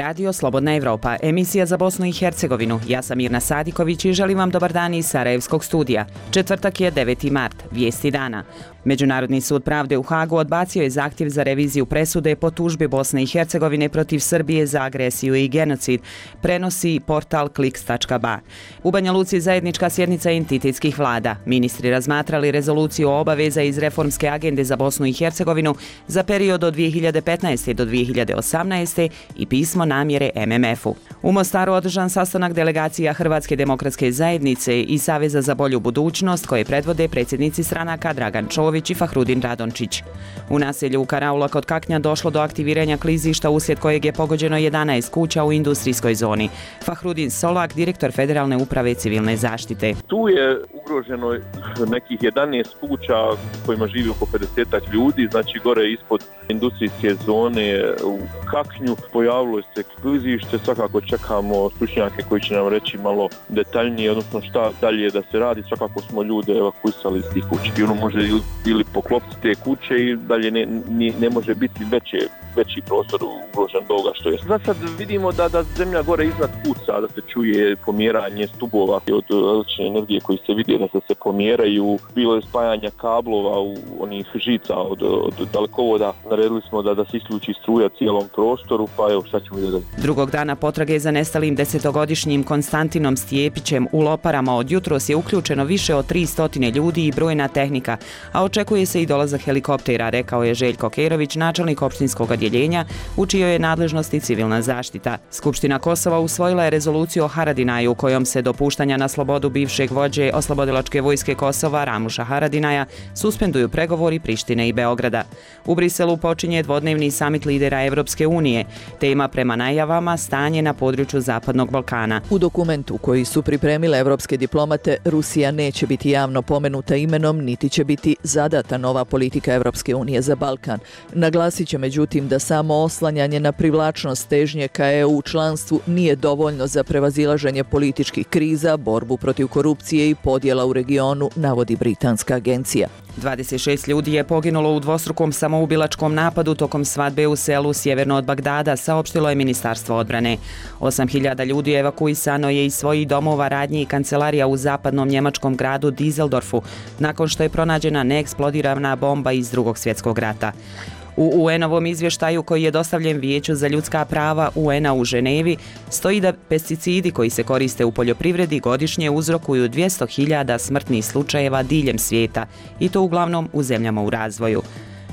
radio Slobodna Evropa, emisija za Bosnu i Hercegovinu. Ja sam Mirna Sadiković i želim vam dobar dan iz Sarajevskog studija. Četvrtak je 9. mart, vijesti dana. Međunarodni sud pravde u Hagu odbacio je zahtjev za reviziju presude po tužbi Bosne i Hercegovine protiv Srbije za agresiju i genocid, prenosi portal kliks.ba. U Banja Luci zajednička sjednica entitetskih vlada. Ministri razmatrali rezoluciju o obaveza iz reformske agende za Bosnu i Hercegovinu za period od 2015. do 2018. i pismo namjere MMF-u. U Mostaru održan sastanak delegacija Hrvatske demokratske zajednice i Saveza za bolju budućnost koje predvode predsjednici stranaka Dragan Čović i Fahrudin Radončić. U naselju Karaula kod Kaknja došlo do aktiviranja klizišta uslijed kojeg je pogođeno 11 kuća u industrijskoj zoni. Fahrudin Solak, direktor Federalne uprave civilne zaštite. Tu je ugroženo nekih 11 kuća kojima živi oko 50 ljudi, znači gore ispod industrijske zone u Kaknju pojavilo se klizište, svakako čekamo stručnjake koji će nam reći malo detaljnije, odnosno šta dalje da se radi, svakako smo ljude evakuisali iz tih kuća. I ono može ili poklopiti te kuće i dalje ne može biti veći prostor ugrožen do ovoga što je. Sad vidimo da zemlja gore iznad puca, da se čuje pomjeranje stubova od električne energije koji se vidi da se pomjeraju, bilo je spajanja kablova u onih žica od dalekovoda. Naredili smo da se isključi struja cijelom prostoru, pa evo šta ćemo vidjeti. Drugog dana potrage za nestalim 10-godišnjim Konstantinom Stjepićem u Loparama od jutros je uključeno više od 300 ljudi i brojna tehnika, a očekuje se i dolazak helikoptera, rekao je Željko Kerović, načelnik opštinskog odjeljenja, u čijoj je nadležnosti civilna zaštita. Skupština Kosova usvojila je rezoluciju o Haradinaju, kojom se dopuštanja na slobodu bivšeg vođe Oslobodilačke vojske Kosova Ramuša Haradinaja suspenduju pregovori Prištine i Beograda. U Briselu počinje dvodnevni samit lidera Evropske unije. Tema prema najavama stanje na području Zapadnog Balkana. U dokumentu koji su pripremile evropske diplomate, Rusija neće biti javno pomenuta imenom, niti će biti zadata nova politika Evropske unije za Balkan. Naglasit će međutim da samo oslanjanje na privlačnost težnje ka EU članstvu nije dovoljno za prevazilaženje političkih kriza, borbu protiv korupcije i podjela u regionu, navodi britanska agencija. 26 ljudi je poginulo u dvostrukom samoubilačkom napadu tokom svadbe u selu sjeverno od Bagdada, saopštilo je Ministarstvo odbrane. 8.000 ljudi evakuisano je iz svojih domova, radnji i kancelarija u zapadnom njemačkom gradu Düsseldorfu, nakon što je pronađena neeksplodirana bomba iz Drugog svjetskog rata. U UN-ovom izvještaju koji je dostavljen Vijeću za ljudska prava UN-a u Ženevi stoji da pesticidi koji se koriste u poljoprivredi godišnje uzrokuju 200.000 smrtnih slučajeva diljem svijeta i to uglavnom u zemljama u razvoju.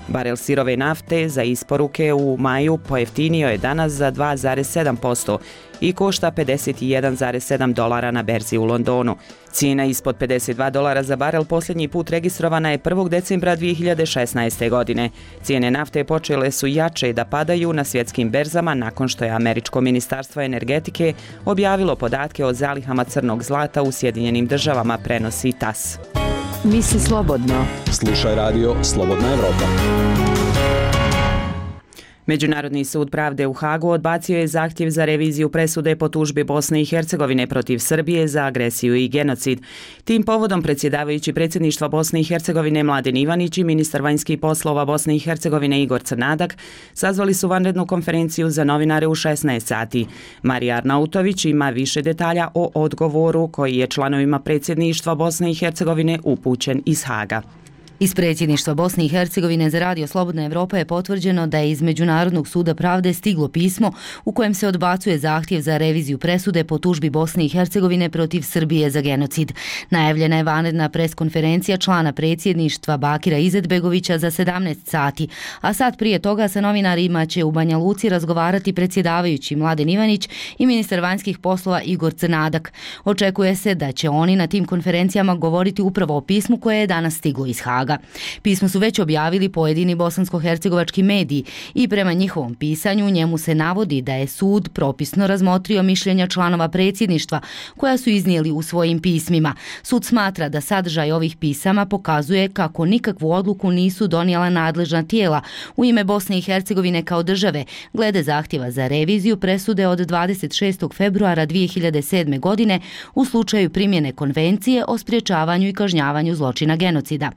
Barel sirove nafte za isporuke u maju pojeftinio je danas za 2,7% i košta $51,7 na berzi u Londonu. Cijena ispod $52 za barel posljednji put registrovana je 1. decembra 2016. godine. Cijene nafte počele su jače da padaju na svjetskim berzama nakon što je Američko ministarstvo energetike objavilo podatke o zalihama crnog zlata u Sjedinjenim državama, prenosi TASS. Misli slobodno. Slušaj radio Slobodna Evropa. Međunarodni sud pravde u Hagu odbacio je zahtjev za reviziju presude po tužbi Bosne i Hercegovine protiv Srbije za agresiju i genocid. Tim povodom predsjedavajući predsjedništva Bosne i Hercegovine Mladen Ivanić i ministar vanjskih poslova Bosne i Hercegovine Igor Crnadak sazvali su vanrednu konferenciju za novinare u 16 sati. Marija Arnautović ima više detalja o odgovoru koji je članovima predsjedništva Bosne i Hercegovine upućen iz Haga. Iz predsjedništva Bosne i Hercegovine za radio Slobodna Evropa je potvrđeno da je iz Međunarodnog suda pravde stiglo pismo u kojem se odbacuje zahtjev za reviziju presude po tužbi Bosne i Hercegovine protiv Srbije za genocid. Najavljena je vanredna preskonferencija člana predsjedništva Bakira Izetbegovića za 17 sati, a sat prije toga sa novinarima će u Banja Luci razgovarati predsjedavajući Mladen Ivanić i ministar vanjskih poslova Igor Crnadak. Očekuje se da će oni na tim konferencijama govoriti upravo o pismu koje je danas stiglo iz Haga. Pismo su već objavili pojedini bosansko-hercegovački mediji i prema njihovom pisanju njemu se navodi da je sud propisno razmotrio mišljenja članova predsjedništva koja su iznijeli u svojim pismima. Sud smatra da sadržaj ovih pisama pokazuje kako nikakvu odluku nisu donijela nadležna tijela u ime Bosne i Hercegovine kao države glede zahtjeva za reviziju presude od 26. februara 2007. godine u slučaju primjene konvencije o sprječavanju i kažnjavanju zločina genocida.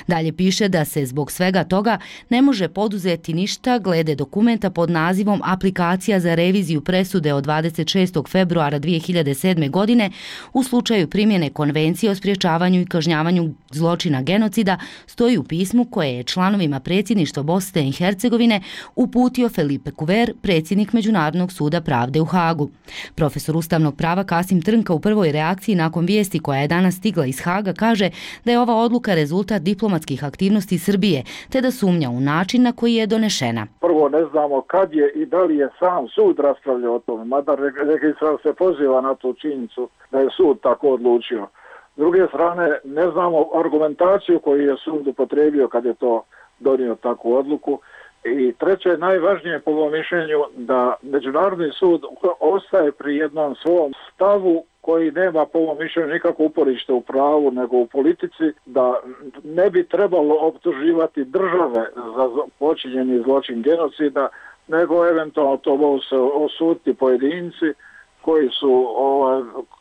Dalje piše da se zbog svega toga ne može poduzeti ništa glede dokumenta pod nazivom Aplikacija za reviziju presude od 26. februara 2007. godine u slučaju primjene Konvencije o sprječavanju i kažnjavanju zločina genocida, stoji u pismu koje je članovima predsjedništva Bosne i Hercegovine uputio Felipe Kuver, predsjednik Međunarodnog suda pravde u Hagu. Profesor ustavnog prava Kasim Trnka u prvoj reakciji nakon vijesti koja je danas stigla iz Haga kaže da je ova odluka rezultat diplomatskih aktivnosti Srbije, te da sumnja u način na koji je donešena. Prvo ne znamo kad je i da li je sam sud raspravljao o tome, mada registrar se poziva na tu činjenicu da je sud tako odlučio. S druge strane, ne znamo argumentaciju koju je sud upotrijebio kad je to donio takvu odluku. I treće, najvažnije po mom mišljenju da Međunarodni sud ostaje pri jednom svom stavu koji nema po mom mišljenju nikako uporište u pravu nego u politici, da ne bi trebalo optuživati države za počinjeni zločin genocida, nego eventualno to mogu se osuditi pojedinci koji su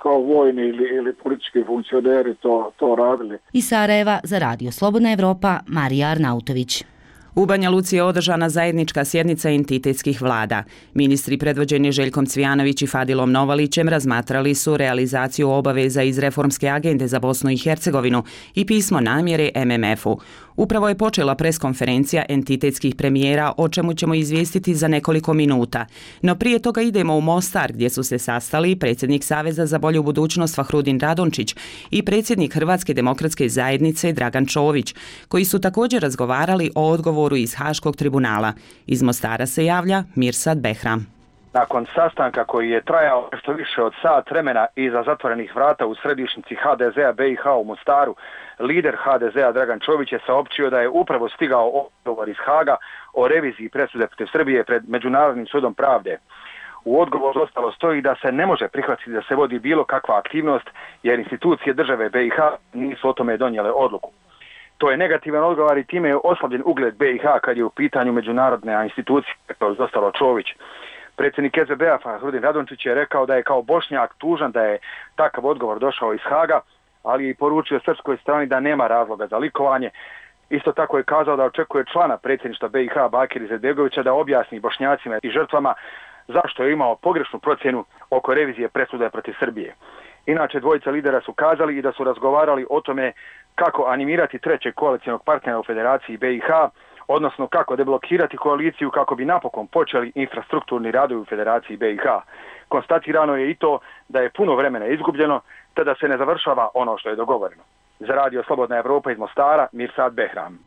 kao vojni ili politički funkcioneri to radili. Iz Sarajeva za Radio Slobodna Evropa, Marija Arnautović. U Banja Luci je održana zajednička sjednica entitetskih vlada. Ministri predvođeni Željkom Cvijanović i Fadilom Novalićem razmatrali su realizaciju obaveza iz reformske agende za Bosnu i Hercegovinu i pismo namjere MMF-u. Upravo je počela preskonferencija entitetskih premijera, o čemu ćemo izvijestiti za nekoliko minuta. No prije toga idemo u Mostar, gdje su se sastali predsjednik Saveza za bolju budućnost Fahrudin Radončić i predsjednik Hrvatske demokratske zajednice Dragan Čović, koji su također razgovarali o odgovoru iz Haškog tribunala. Iz Mostara se javlja Mirsad Behram. Nakon sastanka koji je trajao nešto više od sat vremena iza zatvorenih vrata u središnjici HDZ-a BiH u Mostaru, lider HDZ-a Dragan Čović je saopćio da je upravo stigao odgovor iz Haga o reviziji presude protiv Srbije pred Međunarodnim sudom pravde. U odgovoru ostalo stoji da se ne može prihvatiti da se vodi bilo kakva aktivnost jer institucije države BiH nisu o tome donijele odluku. To je negativan odgovor i time je oslabljen ugled BiH kad je u pitanju međunarodne institucije, kako je ostalo Čović. Predsjednik SBB-a Fahrudin Radončić je rekao da je kao Bošnjak tužan da je takav odgovor došao iz Haga, ali je poručio srpskoj strani da nema razloga za likovanje. Isto tako je kazao da očekuje člana predsjedništva BiH Bakira Izetbegovića da objasni Bošnjacima i žrtvama zašto je imao pogrešnu procjenu oko revizije presude protiv Srbije. Inače, dvojica lidera su kazali i da su razgovarali o tome kako animirati trećeg koalicijnog partnera u Federaciji BiH, odnosno kako deblokirati koaliciju kako bi napokon počeli infrastrukturni radovi u Federaciji BiH. Konstatirano je i to da je puno vremena izgubljeno, te da se ne završava ono što je dogovoreno. Za Radio Slobodna Evropa iz Mostara, Mirsad Behram.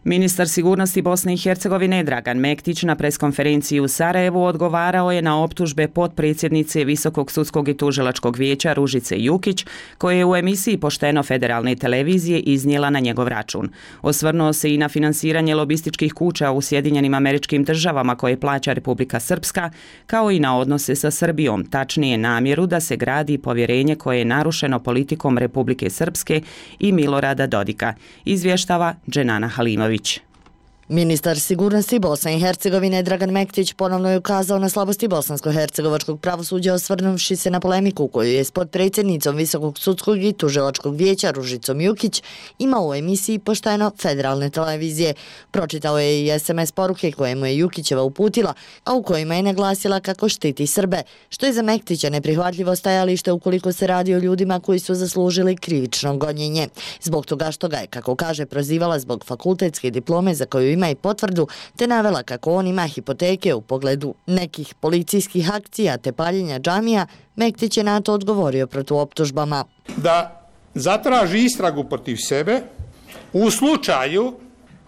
Ministar sigurnosti Bosne i Hercegovine Dragan Mektić na preskonferenciji u Sarajevu odgovarao je na optužbe potpredsjednice Visokog sudskog i tužilačkog vijeća Ružice Jukić, koje je u emisiji Pošteno federalne televizije iznijela na njegov račun. Osvrnuo se i na finansiranje lobističkih kuća u Sjedinjenim Američkim Državama koje plaća Republika Srpska, kao i na odnose sa Srbijom, tačnije namjeru da se gradi povjerenje koje je narušeno politikom Republike Srpske i Milorada Dodika, izvještava Dženana Halimović. Ministar sigurnosti Bosne i Hercegovine Dragan Mektić ponovno je ukazao na slabosti bosansko-hercegovačkog pravosuđa osvrnuvši se na polemiku koju je s potpredsjednicom Visokog sudskog i tužilačkog vijeća Ružicom Jukić imao u emisiji Pošteno federalne televizije. Pročitao je i SMS poruke koje mu je Jukićeva uputila, a u kojima je naglasila kako štiti Srbe, što je za Mektića neprihvatljivo stajalište ukoliko se radi o ljudima koji su zaslužili krivično gonjenje. Zbog toga što ga je, kako kaže, prozivala zbog fakultetske diplome za koju ima i potvrdu, te navela kako on ima hipoteke u pogledu nekih policijskih akcija te paljenja džamija, Mektić je na to odgovorio protuoptužbama. Da zatraži istragu protiv sebe u slučaju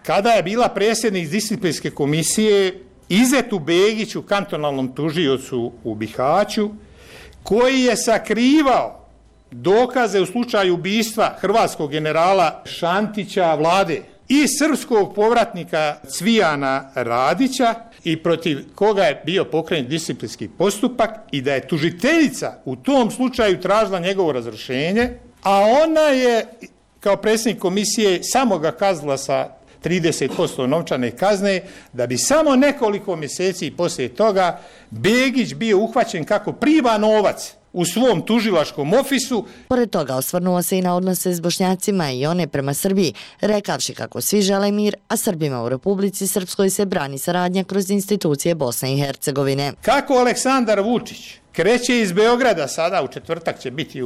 kada je bila predsjednik disciplinske komisije Izetu Begiću, kantonalnom tužiocu u Bihaću, koji je sakrivao dokaze u slučaju ubistva hrvatskog generala Šantića Vlade i srpskog povratnika Cvijana Radića i protiv koga je bio pokrenut disciplinski postupak i da je tužiteljica u tom slučaju tražila njegovo razrješenje, a ona je kao predsjednik komisije samo ga kaznila sa 30% novčane kazne, da bi samo nekoliko mjeseci poslije toga Begić bio uhvaćen kako prima novac u svom tužilačkom ofisu. Pored toga osvrnuo se i na odnose s Bošnjacima i one prema Srbiji, rekavši kako svi žele mir, a Srbima u Republici Srpskoj se brani saradnja kroz institucije Bosne i Hercegovine. Kako Aleksandar Vučić kreće iz Beograda, sada u četvrtak će biti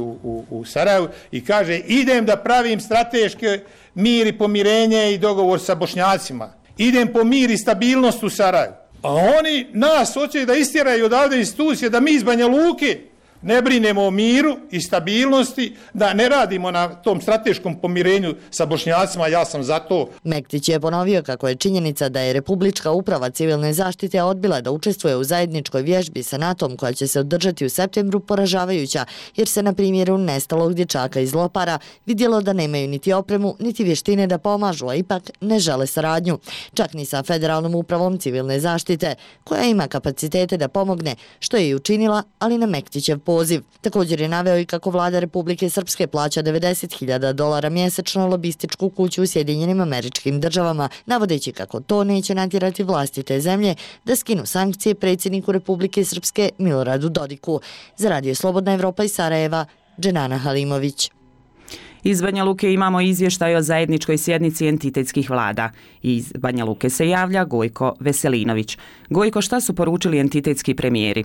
u Sarajevu, i kaže idem da pravim strateške mir i pomirenje i dogovor sa Bošnjacima. Idem po mir i stabilnost u Sarajevu. A oni nas hoće da istjeraju odavde institucije, da mi iz Banja Luke ne brinemo o miru i stabilnosti, da ne radimo na tom strateškom pomirenju sa Bošnjacima, ja sam za to. Mektić je ponovio kako je činjenica da je Republička uprava civilne zaštite odbila da učestvuje u zajedničkoj vježbi sa NATO-om koja će se održati u septembru poražavajuća, jer se na primjeru nestalog dječaka iz Lopara vidjelo da nemaju niti opremu, niti vještine da pomažu, a ipak ne žele saradnju. Čak ni sa Federalnom upravom civilne zaštite, koja ima kapacitete da pomogne, što je i učinila, ali na Mektićev poziv. Također je naveo i kako vlada Republike Srpske plaća $90.000 mjesečno lobističku kuću u Sjedinjenim Američkim Državama, navodeći kako to neće natjerati vlasti te zemlje da skinu sankcije predsjedniku Republike Srpske Miloradu Dodiku. Za Radio Slobodna Evropa iz Sarajeva, Dženana Halimović. Iz Banja Luke imamo izvještaj o zajedničkoj sjednici entitetskih vlada. Iz Banja Luke se javlja Gojko Veselinović. Gojko, šta su poručili entitetski premijeri?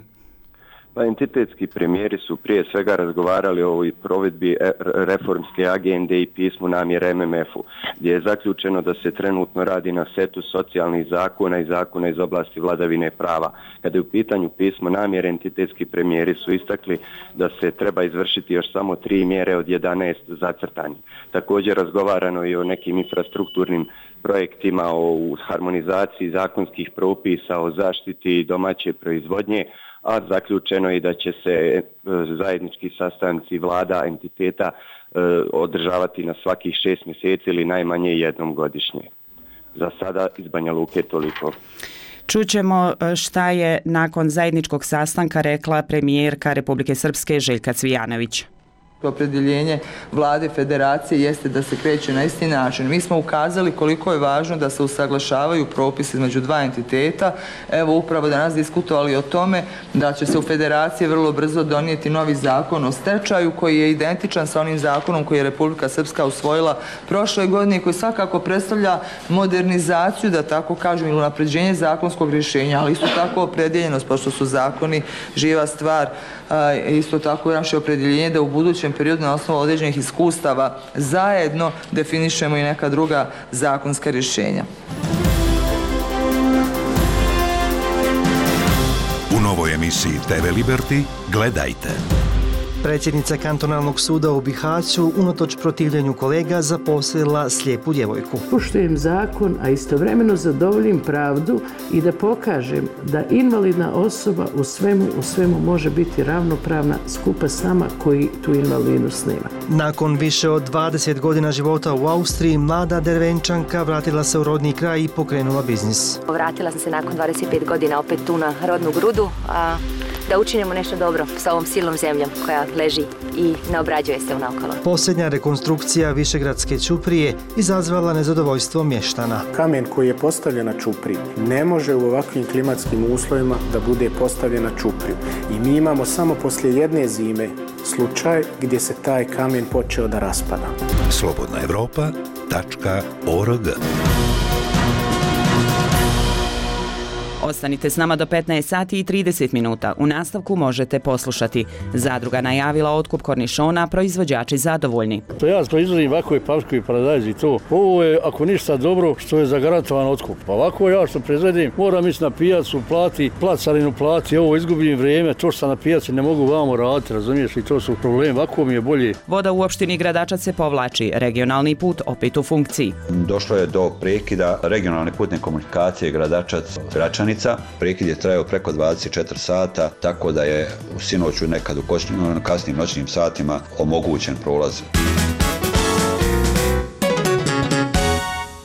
Entitetski premijeri su prije svega razgovarali o ovoj provedbi reformske agende i pismu namjere MMF-u, gdje je zaključeno da se trenutno radi na setu socijalnih zakona i zakona iz oblasti vladavine prava. Kada je u pitanju pismo namjere, entitetski premijeri su istakli da se treba izvršiti još samo 3 mjere od 11 zacrtanih. Također razgovarano i o nekim infrastrukturnim projektima, o harmonizaciji zakonskih propisa, o zaštiti domaće proizvodnje, a zaključeno je da će se zajednički sastanci vlada entiteta održavati na svakih 6 mjeseci ili najmanje jednom godišnje. Za sada iz Banja Luke toliko. Čućemo šta je nakon zajedničkog sastanka rekla premijerka Republike Srpske Željka Cvijanović. Opredjeljenje vlade federacije jeste da se kreće na isti način. Mi smo ukazali koliko je važno da se usaglašavaju propisi između dva entiteta. Evo upravo danas diskutovali o tome da će se u federaciji vrlo brzo donijeti novi zakon o stečaju koji je identičan sa onim zakonom koji je Republika Srpska usvojila prošle godine i koji svakako predstavlja modernizaciju, da tako kažem, ili unapređenje zakonskog rješenja, ali isto tako opredjeljenost, pošto su zakoni živa stvar, isto tako naše opredjeljenje da u budućem periodu na osnovu određenih iskustava zajedno definišemo i neka druga zakonska rješenja. U novoj emisiji TV Liberty gledajte. Predsjednica kantonalnog suda u Bihaću unatoč protivljenju kolega zaposlila slijepu djevojku. Poštujem zakon, a istovremeno zadovoljim pravdu i da pokažem da invalidna osoba u svemu može biti ravnopravna skupa s nama koji tu invalidnost nema. Nakon više od 20 godina života u Austriji, mlada Dervenčanka vratila se u rodni kraj i pokrenula biznis. Vratila sam se nakon 25 godina opet tu na rodnu grudu, a da učinimo nešto dobro sa ovom silnom zemljom koja leži i ne obrađuje se unaokolo. Posljednja rekonstrukcija Višegradske ćuprije izazvala nezadovoljstvo mještana. Kamen koji je postavljen na ćupriju ne može u ovakvim klimatskim uslovima da bude postavljen na ćupriju. I mi imamo samo poslije jedne zime slučaj gdje se taj kamen počeo da raspada. slobodnaevropa.org. Ostanite s nama do 15 sati i 30 minuta. U nastavku možete poslušati. Zadruga najavila otkup kornišona, proizvođači zadovoljni. To ja proizvodim ovako je paprku i paradajz i to. Ovo je, ako ništa dobro, što je zagarantovan otkup. Ovako ja što proizvodim, moram ići na pijacu, carinu plati, ovo izgubim vrijeme, to što sam na pijaci ne mogu vamo raditi, razumiješ, i to su problemi, ovako mi je bolje. Voda u opštini Gradačac se povlači, regionalni put opet u funkciji. Došlo je do prekida regionalne putne komunikacije Gradačac-Gračanica. Prekid je trajao preko 24 sata, tako da je u sinoću nekad u kasnim noćnim satima omogućen prolaz.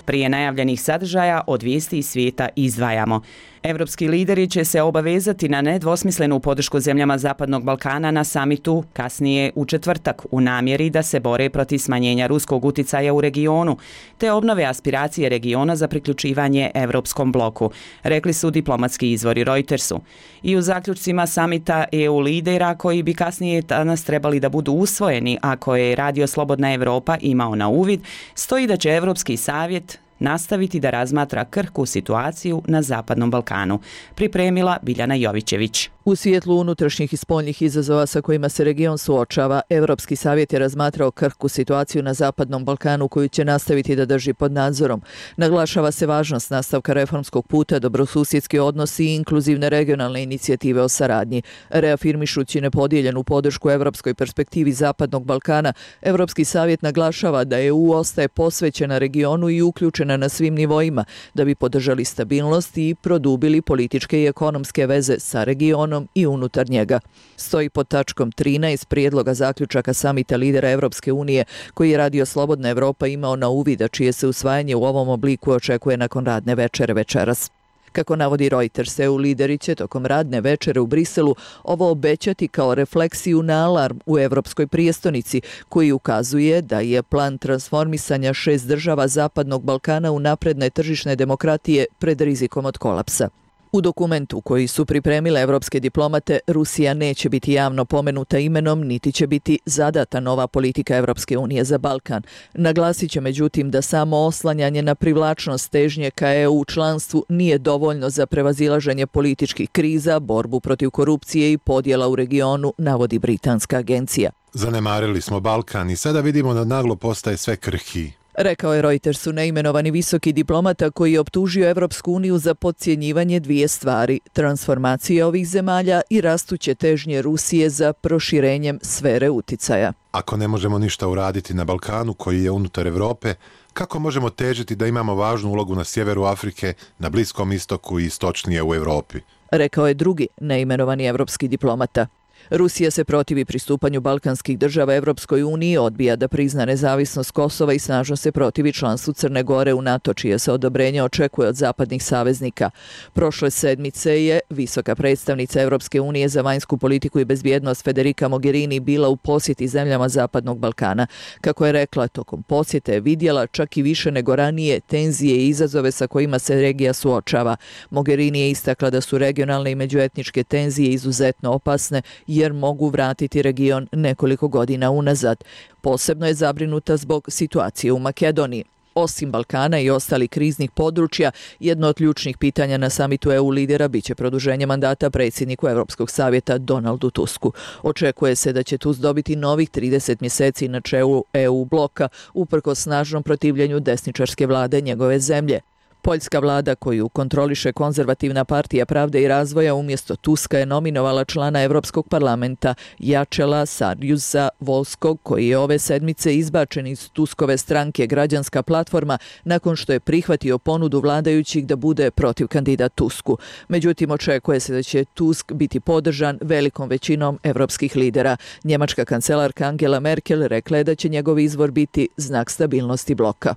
Prije najavljenih sadržaja od vijesti iz svijeta izdvajamo. Evropski lideri će se obavezati na nedvosmislenu podršku zemljama Zapadnog Balkana na samitu kasnije u četvrtak u namjeri da se bore protiv smanjenja ruskog uticaja u regionu te obnove aspiracije regiona za priključivanje Evropskom bloku, rekli su diplomatski izvori Reutersu. I u zaključcima samita EU lidera koji bi kasnije danas trebali da budu usvojeni, a koje je Radio Slobodna Evropa imao na uvid, stoji da će Evropski savjet nastaviti da razmatra krhku situaciju na Zapadnom Balkanu, pripremila Biljana Jovićević. U svjetlu unutrašnjih i spoljnih izazova sa kojima se region suočava, Evropski savjet je razmatrao krhku situaciju na Zapadnom Balkanu koju će nastaviti da drži pod nadzorom. Naglašava se važnost nastavka reformskog puta, dobrosusjedski odnosi i inkluzivne regionalne inicijative o saradnji. Reafirmišući nepodijeljenu podršku evropskoj perspektivi Zapadnog Balkana, Evropski savjet naglašava da EU ostaje posvećena regionu i uključena na svim nivoima da bi podržali stabilnost i produbili političke i ekonomske veze sa regionom i unutar njega. Stoji pod tačkom 13 prijedloga zaključaka samita lidera Evropske unije koji je Radio Slobodna Evropa imao na uvid, a čije se usvajanje u ovom obliku očekuje nakon radne večere večeras. Kako navodi Reuters, EU lideri će tokom radne večere u Briselu ovo obećati kao refleksiju na alarm u Evropskoj prijestonici, koji ukazuje da je plan transformisanja 6 država Zapadnog Balkana u napredne tržišne demokratije pred rizikom od kolapsa. U dokumentu koji su pripremile evropske diplomate, Rusija neće biti javno pomenuta imenom, niti će biti zadata nova politika Evropske unije za Balkan. Naglasit će međutim da samo oslanjanje na privlačnost težnje ka EU članstvu nije dovoljno za prevazilaženje političkih kriza, borbu protiv korupcije i podjela u regionu, navodi britanska agencija. Zanemarili smo Balkan i sada vidimo da naglo postaje sve krhkiji. Rekao je Reutersu neimenovani visoki diplomata koji je optužio Evropsku uniju za podcjenjivanje dvije stvari, transformacije ovih zemalja i rastuće težnje Rusije za proširenjem sfere uticaja. Ako ne možemo ništa uraditi na Balkanu koji je unutar Evrope, kako možemo težiti da imamo važnu ulogu na sjeveru Afrike, na Bliskom istoku i istočnije u Evropi? Rekao je drugi neimenovani evropski diplomata. Rusija se protivi pristupanju balkanskih država Evropskoj uniji, odbija da prizna nezavisnost Kosova i snažno se protivi članstvu Crne Gore u NATO, čije se odobrenje očekuje od zapadnih saveznika. Prošle sedmice je visoka predstavnica Evropske unije za vanjsku politiku i bezbjednost Federica Mogherini bila u posjeti zemljama Zapadnog Balkana. Kako je rekla, tokom posjete je vidjela čak i više nego ranije tenzije i izazove sa kojima se regija suočava. Mogherini je istakla da su regionalne i međuetničke tenzije izuzetno opasne jer mogu vratiti region nekoliko godina unazad. Posebno je zabrinuta zbog situacije u Makedoniji. Osim Balkana i ostalih kriznih područja, jedno od ključnih pitanja na samitu EU lidera biće produženje mandata predsjedniku Evropskog savjeta Donaldu Tusku. Očekuje se da će Tusk dobiti novih 30 mjeseci na čelu EU bloka uprkos snažnom protivljenju desničarske vlade njegove zemlje. Poljska vlada koju kontroliše konzervativna partija Pravde i razvoja umjesto Tuska je nominovala člana Europskog parlamenta Jačela Sarjusa Volskog, koji je ove sedmice izbačen iz Tuskove stranke Građanska platforma nakon što je prihvatio ponudu vladajućih da bude protiv kandidat Tusku. Međutim, očekuje se da će Tusk biti podržan velikom većinom evropskih lidera. Njemačka kancelarka Angela Merkel rekla je da će njegov izbor biti znak stabilnosti bloka.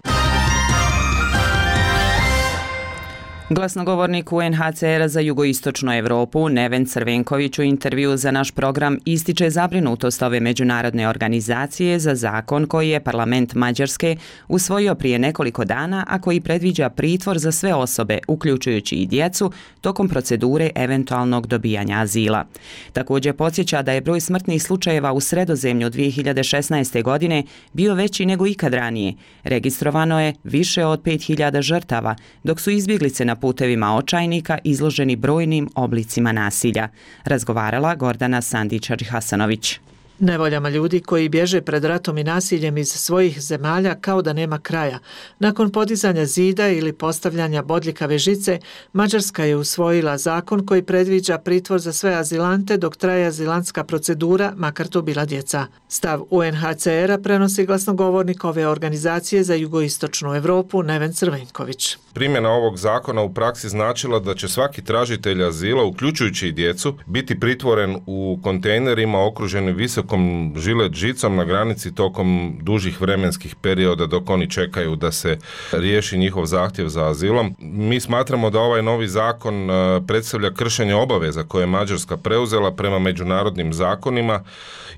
Glasnogovornik UNHCR-a za jugoistočnu Evropu, Neven Crvenković, u intervju za naš program ističe zabrinutost ove međunarodne organizacije za zakon koji je parlament Mađarske usvojio prije nekoliko dana, a koji predviđa pritvor za sve osobe, uključujući i djecu, tokom procedure eventualnog dobijanja azila. Također podsjeća da je broj smrtnih slučajeva u Sredozemlju 2016. godine bio veći nego ikad ranije. Registrovano je više od 5000 žrtava, dok su izbjeglice na putevima očajnika izloženi brojnim oblicima nasilja. Razgovarala Gordana Sandić-Hasanović. Nevoljama ljudi koji bježe pred ratom i nasiljem iz svojih zemalja kao da nema kraja. Nakon podizanja zida ili postavljanja bodljikave žice, Mađarska je usvojila zakon koji predviđa pritvor za sve azilante dok traje azilantska procedura, makar to bila djeca. Stav UNHCR-a prenosi glasnogovornik ove organizacije za jugoistočnu Evropu Neven Crvenković. Primjena ovog zakona u praksi značila da će svaki tražitelj azila, uključujući i djecu, biti pritvoren u kontejnerima okruženim visoko nekakvom žilet žicom na granici tokom dužih vremenskih perioda dok oni čekaju da se riješi njihov zahtjev za azilom. Mi smatramo da ovaj novi zakon predstavlja kršenje obaveza koje je Mađarska preuzela prema međunarodnim zakonima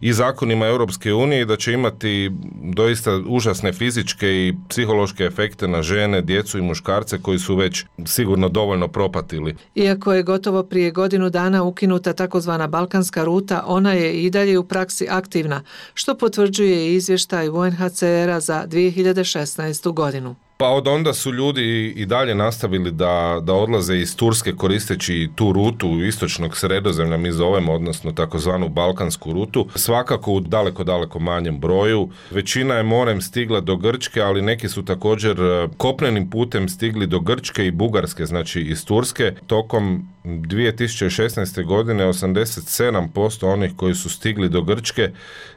i zakonima Europske unije i da će imati doista užasne fizičke i psihološke efekte na žene, djecu i muškarce koji su već sigurno dovoljno propatili. Iako je gotovo prije godinu dana ukinuta takozvana balkanska ruta, ona je i dalje u praksi aktivna, što potvrđuje izvještaj UNHCR-a za 2016. godinu. Pa od onda su ljudi i dalje nastavili da odlaze iz Turske koristeći tu rutu istočnog Sredozemlja, mi zovemo, odnosno takozvanu balkansku rutu, svakako u daleko manjem broju. Većina je morem stigla do Grčke, ali neki su također kopnenim putem stigli do Grčke i Bugarske, znači iz Turske. Tokom 2016. godine 87% onih koji su stigli do Grčke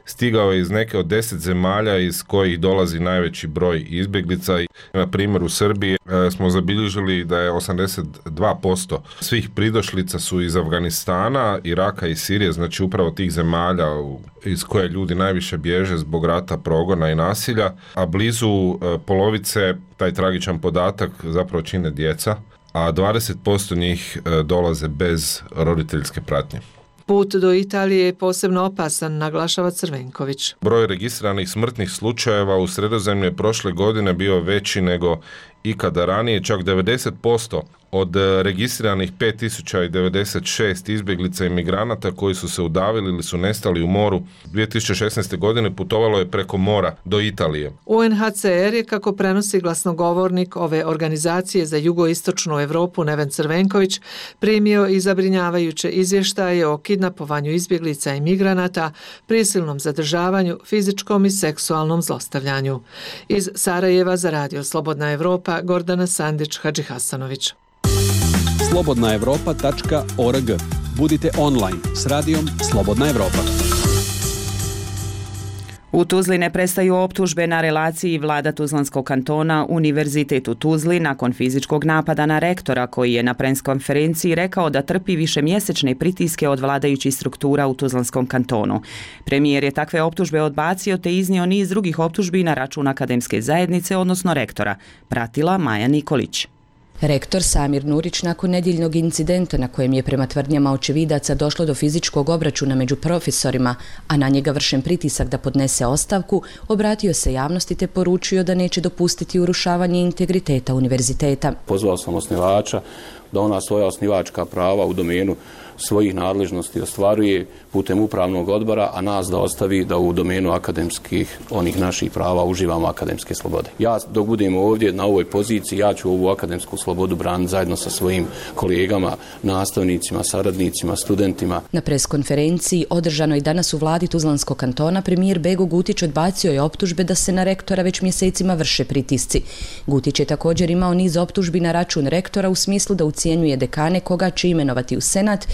stigao je iz neke od 10 zemalja iz kojih dolazi najveći broj izbjeglica. Na primjer u Srbiji smo zabilježili da je 82% svih pridošlica su iz Afganistana, Iraka i Sirije, znači upravo tih zemalja iz koje ljudi najviše bježe zbog rata, progona i nasilja, a blizu polovice, taj tragičan podatak, zapravo čine djeca, a 20% njih dolaze bez roditeljske pratnje. Put do Italije je posebno opasan, naglašava Crvenković. Broj registriranih smrtnih slučajeva u Sredozemlju je prošle godine bio veći nego ikada ranije, čak 90% od registriranih 5096 izbjeglica i migranata koji su se udavili ili su nestali u moru 2016. godine putovalo je preko mora do Italije. UNHCR je, kako prenosi glasnogovornik ove organizacije za jugoistočnu Europu Neven Crvenković, primio i zabrinjavajuće izvještaje o kidnapovanju izbjeglica i migranata, prisilnom zadržavanju, fizičkom i seksualnom zlostavljanju. Iz Sarajeva za Radio Slobodna Evropa, Gordana Sandić-Hadžihasanović. slobodnaevropa.org. Budite online s radijom Slobodna Evropa. U Tuzli ne prestaju optužbe na relaciji vlada Tuzlanskog kantona Univerzitet u Tuzli nakon fizičkog napada na rektora koji je na preskonferenciji rekao da trpi višemjesečne pritiske od vladajućih struktura u Tuzlanskom kantonu. Premijer je takve optužbe odbacio te iznio niz drugih optužbi na račun akademske zajednice, odnosno rektora. Pratila Maja Nikolić. Rektor Samir Nurić nakon nedjeljnog incidenta na kojem je prema tvrdnjama očevidaca došlo do fizičkog obračuna među profesorima, a na njega vršen pritisak da podnese ostavku, obratio se javnosti te poručio da neće dopustiti urušavanje integriteta univerziteta. Pozvao sam osnivača da ona svoja osnivačka prava u domenu svojih nadležnosti ostvaruje putem upravnog odbora, a nas da ostavi da u domenu akademskih, onih naših prava, uživamo akademske slobode. Ja dok budem ovdje na ovoj poziciji, ja ću ovu akademsku slobodu braniti zajedno sa svojim kolegama, nastavnicima, saradnicima, studentima. Na preskonferenciji održanoj danas u vladi Tuzlanskog kantona premijer Bego Gutić odbacio je optužbe da se na rektora već mjesecima vrše pritisci. Gutić je također imao niz optužbi na račun rektora u smislu da ucjenjuje dekane koga će imenovati u senat,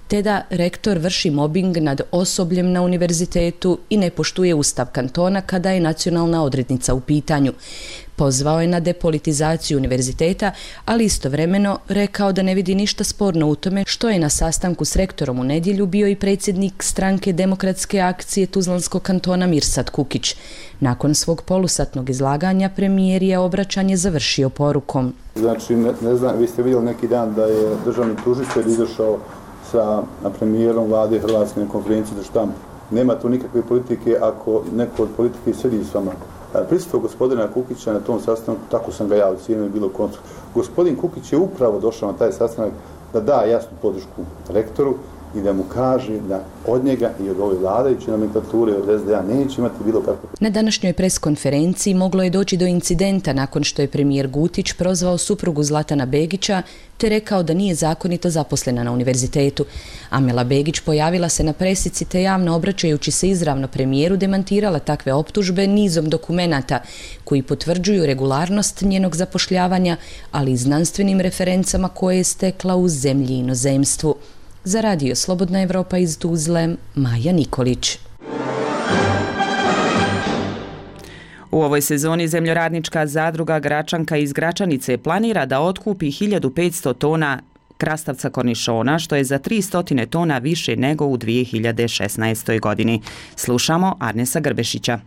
te da rektor vrši mobing nad osobljem na univerzitetu i ne poštuje ustav kantona kada je nacionalna odrednica u pitanju. Pozvao je na depolitizaciju univerziteta, ali istovremeno rekao da ne vidi ništa sporno u tome što je na sastanku s rektorom u nedjelju bio i predsjednik stranke Demokratske akcije Tuzlanskog kantona Mirsad Kukić. Nakon svog polusatnog izlaganja premijer je obraćanje završio porukom. Znači, ne znam, vi ste vidjeli neki dan da je državni tužitelj izašao sa premijerom vlade Hrvatske na konferenciji za štampu. Nema tu nikakve politike ako neko od politike sjedi s vama. Prisustvo gospodina Kukića na tom sastanku, tako sam ga ja ocijenio, je bilo konstruktivno. Gospodin Kukić je upravo došao na taj sastanak da da jasnu podršku rektoru i da mu kaže da od njega i od ove vladajuće nomenklature od SDA neće imati bilo kako. Na današnjoj preskonferenciji moglo je doći do incidenta nakon što je premijer Gutić prozvao suprugu Zlatana Begića te rekao da nije zakonito zaposlena na univerzitetu. Amela Begić pojavila se na presici te javno obraćajući se izravno premijeru demantirala takve optužbe nizom dokumenata koji potvrđuju regularnost njenog zapošljavanja, ali i znanstvenim referencama koje je stekla u zemlji i inozemstvu. Za Radio Slobodna Evropa iz Tuzle, Maja Nikolić. U ovoj sezoni zemljoradnička zadruga Gračanka iz Gračanice planira da otkupi 1500 tona krastavca kornišona, što je za 300 tona više nego u 2016. godini. Slušamo Arnesa Grbešića.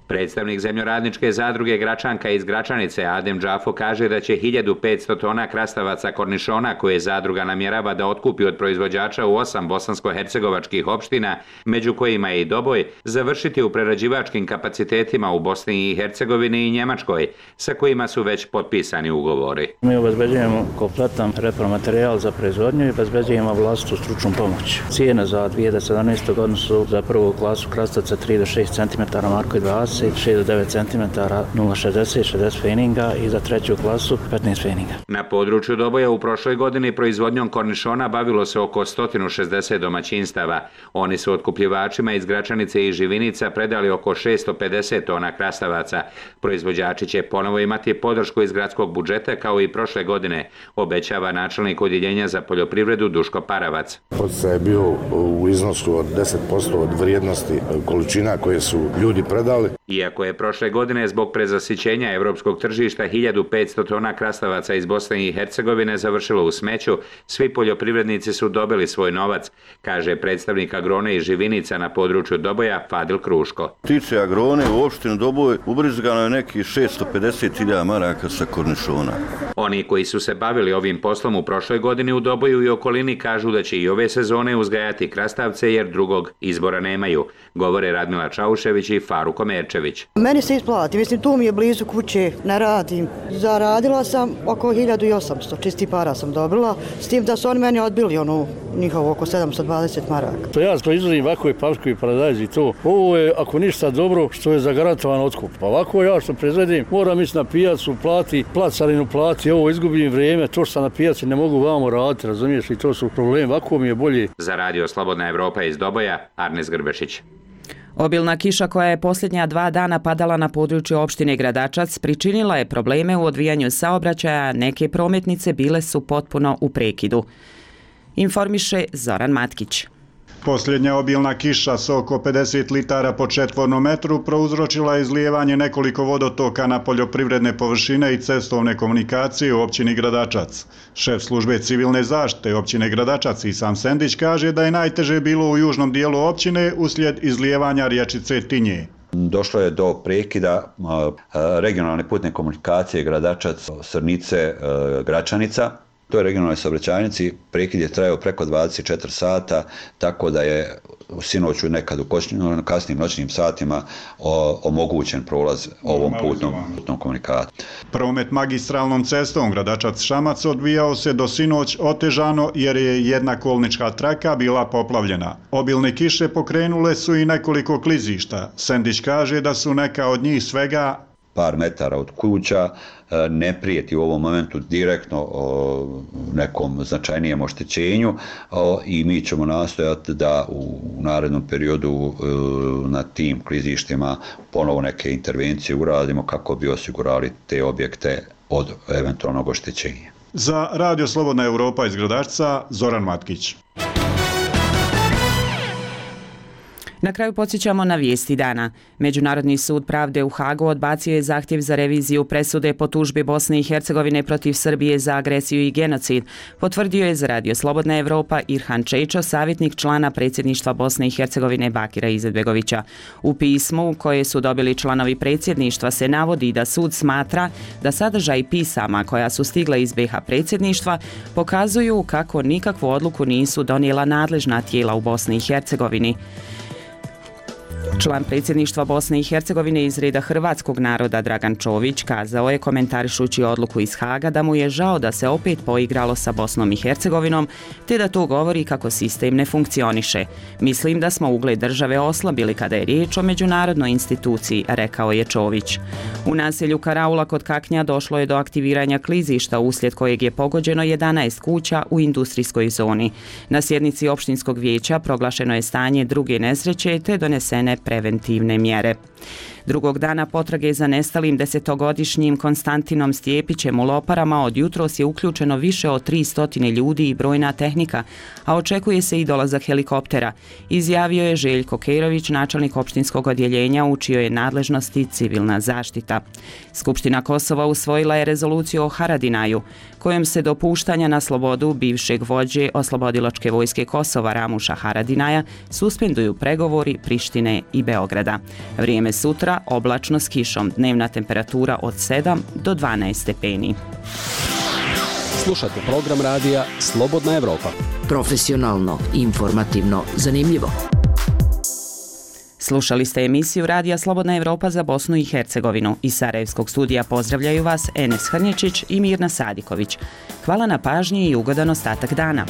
Predstavnik zemljoradničke zadruge Gračanka iz Gračanice Adem Džafo kaže da će 1500 tona krastavaca kornišona koje zadruga namjerava da otkupi od proizvođača u 8 bosansko-hercegovačkih opština, među kojima je i Doboj, završiti u prerađivačkim kapacitetima u Bosni i Hercegovini i Njemačkoj, sa kojima su već potpisani ugovori. Mi obezbeđujemo kompletan repromaterijal za proizvodnju i obezbeđujemo vlastitu stručnu pomoć. Cijene za 2017. godinu su za prvu klasu krastavca 3 do 6 cm Marko 20, 6 do 9 cm 0,60, 60 feninga i za treću klasu 15 feninga. Na području Doboja u prošloj godini proizvodnjom kornišona bavilo se oko 160 domaćinstava. Oni su otkupljivačima iz Gračanice i Živinica predali oko 650 tona krastavaca. Proizvođači će ponovo imati podršku iz gradskog budžeta kao i prošle godine, obećava načelnik odjeljenja za poljoprivredu Duško Paravac. Podstaj je bio u iznosu od 10% od vrijednosti količina koje su ljudi predali. Iako je prošle godine zbog prezasićenja europskog tržišta 1500 tona krastavaca iz Bosne i Hercegovine završilo u smeću, svi poljoprivrednici su dobili svoj novac, kaže predstavnik agrone iz Živinica na području Doboja Fadil Kruško. Tiče agrone u opštinu Doboj ubrizgano je nekih 650.000 maraka sa kornišona. Oni koji su se bavili ovim poslom u prošloj godini u Doboju i okolini kažu da će i ove sezone uzgajati krastavce jer drugog izbora nemaju, govore Radmila Čaušević i Faruko Merčević. Meni se isplati, mislim tu mi je blizu kuće, ne radim. Zaradila sam oko 1800, čisti para sam dobila, s tim da su oni meni odbili njihovo oko 720 maraka. To ja proizvodim ovako i pašku i paradajz i to. Ovo je, ako ništa dobro, što je zagarantovan otkup. Ovako ja što proizvodim, moram ići na pijacu, carinu plati, ovo izgubim vrijeme, to što sam na pijaci ne mogu vamo raditi, razumiješ, i to su problemi, ovako mi je bolje. Za Radio Slobodna Evropa iz Doboja, Arnes Grbešić. Obilna kiša koja je posljednja 2 dana padala na području opštine Gradačac pričinila je probleme u odvijanju saobraćaja, neke prometnice bile su potpuno u prekidu. Informiše Zoran Matkić. Posljednja obilna kiša sa oko 50 litara po četvornom metru prouzročila je izlijevanje nekoliko vodotoka na poljoprivredne površine i cestovne komunikacije u općini Gradačac. Šef službe civilne zaštite općine Gradačac Isam Sendić kaže da je najteže bilo u južnom dijelu općine uslijed izlijevanja rječice Tinje. Došlo je do prekida regionalne putne komunikacije Gradačac, Srnice, Gračanica. U toj regionalnoj saobraćajnici prekid je trajao preko 24 sata, tako da je sinoć nekad u kasnim noćnim satima omogućen prolaz ovom putnom komunikacijom. Promet magistralnom cestom Gradačac-Šamac odvijao se do sinoć otežano jer je jedna kolnička traka bila poplavljena. Obilne kiše pokrenule su i nekoliko klizišta. Sendić kaže da su neka od njih svega par metara od kuća, ne prijeti u ovom momentu direktno nekom značajnijem oštećenju i mi ćemo nastojati da u narednom periodu na tim klizištima ponovo neke intervencije uradimo kako bi osigurali te objekte od eventualnog oštećenja. Za Radio Slobodna Evropa iz Gradačca, Zoran Matkić. Na kraju podsjećamo na vijesti dana. Međunarodni sud pravde u Hagu odbacio je zahtjev za reviziju presude po tužbi Bosne i Hercegovine protiv Srbije za agresiju i genocid. Potvrdio je za Radio Slobodna Evropa Irhan Čečo, savjetnik člana predsjedništva Bosne i Hercegovine Bakira Izetbegovića. U pismu koje su dobili članovi predsjedništva se navodi da sud smatra da sadržaj pisama koja su stigla iz BiH predsjedništva pokazuju kako nikakvu odluku nisu donijela nadležna tijela u Bosni i Hercegovini. Član predsjedništva Bosne i Hercegovine iz reda hrvatskog naroda Dragan Čović kazao je komentarišući odluku iz Haga da mu je žao da se opet poigralo sa Bosnom i Hercegovinom, te da to govori kako sistem ne funkcioniše. Mislim da smo ugled države oslabili kada je riječ o međunarodnoj instituciji, rekao je Čović. U naselju Karaula kod Kaknja došlo je do aktiviranja klizišta uslijed kojeg je pogođeno 11 kuća u industrijskoj zoni. Na sjednici opštinskog vijeća proglašeno je stanje druge nesreće te donesene preventivne mjere. Drugog dana potrage za nestalim 10-godišnjim Konstantinom Stjepićem u Loparama od jutros je uključeno više od 300 ljudi i brojna tehnika, a očekuje se i dolazak helikoptera, izjavio je Željko Kerović, načelnik opštinskog odjeljenja u čijoj je nadležnosti civilna zaštita. Skupština Kosova usvojila je rezoluciju o Haradinaju, kojom se dopuštanja na slobodu bivšeg vođe Oslobodilačke vojske Kosova Ramuša Haradinaja suspenduju pregovori Prištine i Beograda. Vrijeme sutra oblačno s kišom, dnevna temperatura od 7 do 12 stepeni. Slušajte program radija Slobodna Evropa. Profesionalno, informativno, zanimljivo. Slušali ste emisiju Radija Slobodna Evropa za Bosnu i Hercegovinu. Iz Sarajevskog studija pozdravljaju vas Enes Hrnječić i Mirna Sadiković. Hvala na pažnji i ugodan ostatak dana.